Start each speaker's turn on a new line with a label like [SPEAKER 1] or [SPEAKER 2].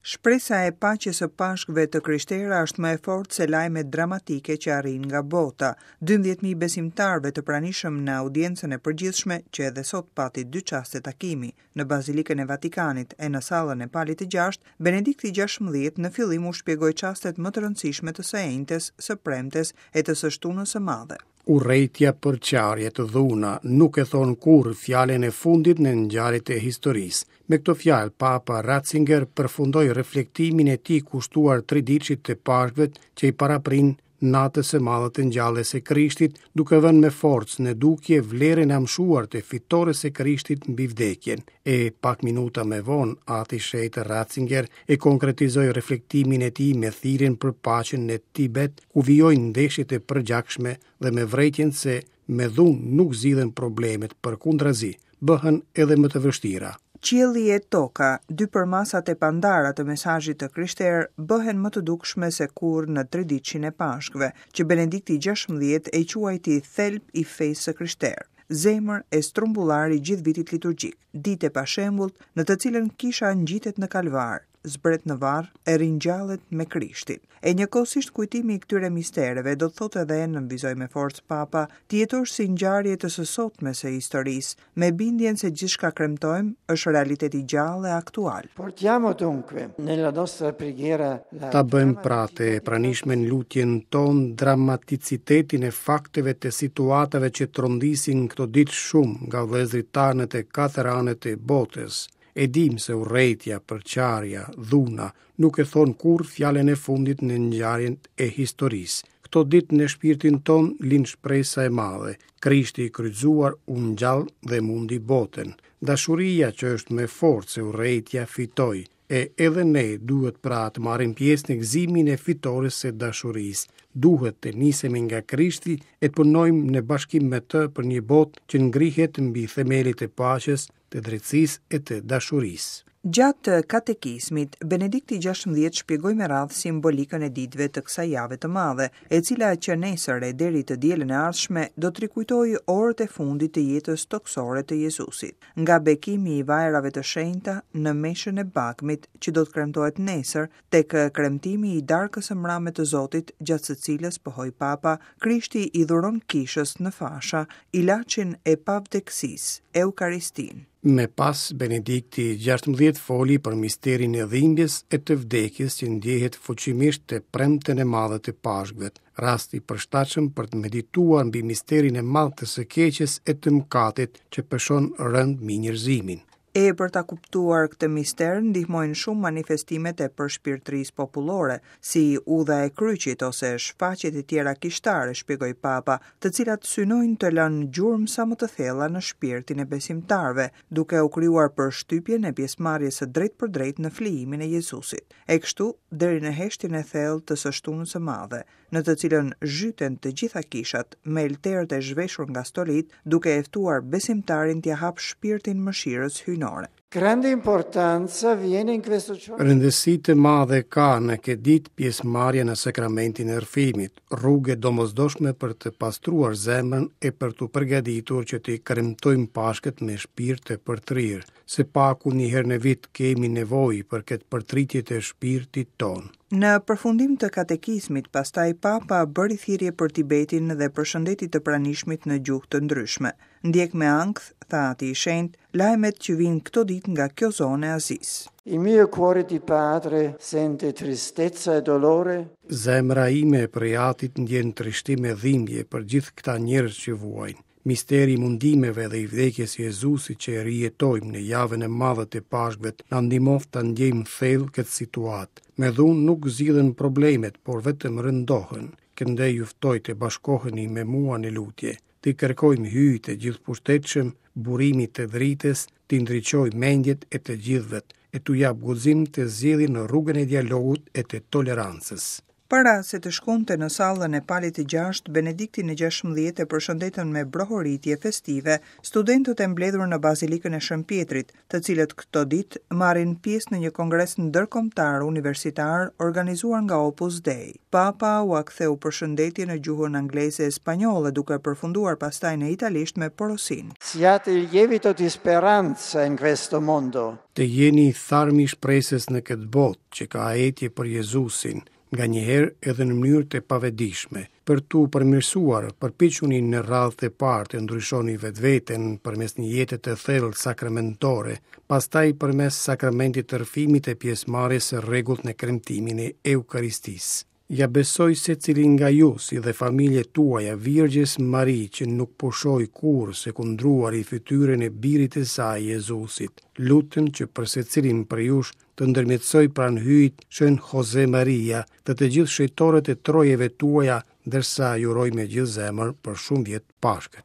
[SPEAKER 1] Shpresa e paqes së Pashkëve të krishtera është më e fortë se lajmet dramatike që arrijnë nga bota. 12.000 besimtarëve të pranishëm në audiencën e përgjithshme, që edhe sot pati dy çaste takimi, në Bazilikën e Vatikanit e në sallën e Palit të Gjashtë, Benedikti XVI në fillim u shpjegoi çastet më të rëndësishme të së enjtes, së premtes e të së shtunës së madhe.
[SPEAKER 2] Urrejtja, përçarjet, dhuna, nuk e thonë kurrë fjalën e fundit në ngjarjet e historisë. Me këto fjalë, Papa Ratzinger përfundoi reflektimin e tij kushtuar triditëshit të Pashkëve që i paraprin natës së madhe të ngjalljes së Krishtit, duke vënë me forcë në dukje vlerën e amshuar të fitores së Krishtit mbi vdekjen. E pak minuta më vonë, Ati i Shenjtë Ratzinger e konkretizoi reflektimin e tij me thirrjen për paqen në Tibet, ku vijojnë ndeshjet e përgjakshme dhe me vërejtjen se me dhunë nuk zgjidhen problemet, përkundrazi, bëhen edhe më të vështira.
[SPEAKER 1] Qielli e toka, dy përmasat e pandara të mesazhit të krishterë, bëhen më të dukshme se kurrë në triditëshin e Pashkëve, që Benedikti XVI e quajti thelb i fesë së krishterë, zemër e strumbullar i gjithë vitit liturgjik, ditë e pashembullt në të cilën kisha ngjitet në Kalvar, zbret në varr e ringjallet me Krishtin. E njëkohësisht kujtimi i këtyre mistereve do të thotë edhe, nënvizoi me forcë Papa, t'i jetosh si ngjarje të së sotmes së historisë, me bindjen se gjithçka kremtojmë është realitet i gjallë e aktual.
[SPEAKER 3] Portiamo dunque nella nostra preghiera
[SPEAKER 2] la Ta bëjmë pra të pranishme në lutjen tonë dramaticitetin e fakteve të situatave që trondisin këto ditë shumë nga vëllezërit tanë në të katër anët e botës. E dimë se urrejtja, përçarja, dhuna, nuk e thonë kurrë fjalën e fundit në ngjarjet e historisë. Këto ditë në shpirtin tonë lind shpresa e madhe, Krishti i kryqëzuar u ngjall dhe mundi botën. Dashuria që është më e fortë se urrejtja fitoi, e edhe ne duhet pra të marrim pjesë në gëzimin e fitores së dashurisë. Duhet të nisemi nga Krishti e të punojmë në bashkim me të për një botë që ngrihet mbi themelet e paqes, të drejtësisë e të dashurisë.
[SPEAKER 1] Gjatë katekizmit, Benedikti XVI shpjegoi me radhë simbolikën e ditëve të kësaj jave të madhe, e cila që nesër e deri të dielën e ardhshme do të rikujtojë orët e fundit të jetës tokësore të Jezusit, nga bekimi i vajrave të shenjta në meshën e bagmit që do të kremtohet nesër, tek kremtimi i Darkës së Mrame të Zotit, gjatë së cilës, pohoi Papa, Krishti i dhuron Kishës në fasha ilaçin e pavdekësisë, Eukaristinë.
[SPEAKER 2] Më pas, Benedikti XVI foli për misterin e dhimbjes e të vdekjes që ndjehet fuqimisht të premten e madhe të Pashkëve, rast i përshtatshëm për të medituar mbi misterin e madh të së keqes e të mëkatit që peshon rëndë mbi njerëzimin.
[SPEAKER 1] E për ta kuptuar këtë mister ndihmojnë shumë manifestimet e përshpirtërisë popullore, si Udha e Kryqit ose shfaqjet e tjera kishtare, shpjegoi Papa, të cilat synojnë të lënë gjurmë sa më të thella në shpirtin e besimtarëve, duke u krijuar përshtypjen e pjesëmarrjes së drejtpërdrejtë në flijimin e Jezusit. E kështu, deri në heshtjen e thellë të së shtunës së madhe, në të cilën zhyten të gjitha kishat, me elterët e zhveshur nga stolitë, duke e ftuar besimtarin t'ia hapë shpirtin mëshirës hyjnore.
[SPEAKER 3] Grande importanza viene in questo giorno.
[SPEAKER 2] Rëndësi të madhe ka në këtë ditë pjesëmarrja në sakramentin e rrëfimit, rrugë e domosdoshme për të pastruar zemrën e për t'u përgatitur që t'i kremtojmë Pashkët me shpirt të përtërirë. Së paku një herë në vit kemi nevojë për këtë përtëritje të shpirtit tonë.
[SPEAKER 1] Në përfundim të katekizmit, pastaj Papa bëri thirrje për Tibetin dhe përshëndeti të pranishmit në gjuhë të ndryshme. Ndjek me ankth, tha Ati i Shenjtë, lajmet që vijnë këto ditë nga kjo zonë e Azisë.
[SPEAKER 3] Il mio cuore di padre sente tristezza e dolore.
[SPEAKER 2] Zemra ime prej atit ndjen trishtim e dhimbje për gjithë këta njerëz që vuajnë. Misteri i mundimeve dhe i vdekjes së Jezusit që e rijetojmë në javën e madhe të Pashkëve na ndihmoftë ta ndjejmë thellë këtë situatë. Me dhunë nuk zgjidhen problemet, por vetëm rëndohen. Këndej ju ftoj të bashkoheni me mua në lutje. T'i kërkojmë Hyjit të gjithëpushtetshëm, burimit të dritës, t'i ndriçojë mendjet e të gjithëve e t'u japë guxim të zgjedhin rrugën e dialogut e të tolerancës.
[SPEAKER 1] Para se të shkonte në sallën e Palit të Gjashtë, Benediktin e 16 e përshëndetën me brohoritje festive studentët e mbledhur në Bazilikën e Shën Pjetrit, të cilët këto ditë marrin pjesë në një kongres ndërkombëtar universitar organizuar nga Opus Dei. Papa ua ktheu përshëndetje në gjuhën angleze e spanjolle, duke përfunduar pastaj në italisht me porosinë.
[SPEAKER 3] Siate il lievito di speranza in questo mondo.
[SPEAKER 2] Të jeni tharmi i shpresës në këtë botë që ka etje për Jezusin, nganjëherë edhe në mënyrë të pavetëdijshme. Për t'u përmirësuar, përpiquni në radhë të parë të ndryshoni vetveten përmes një jete të thellë sakramentore, pastaj përmes sakramentit të rrëfimit e pjesëmarrjes së rregullt në kremtimin e Eukaristisë. Ia besoj secilin nga ju si dhe familjet tuaja Virgjës Mari që nuk pushoi kurrë së kundruari fytyrën e birit të saj Jezusit. Lutem që për secilin prej jush të ndërmjetësojë pranë Hyjit Shën Jose Maria dhe të gjithë shenjtorët e trojeve tuaja, ndërsa ju uroj me gjithë zemër për shumë vjet Pashkët.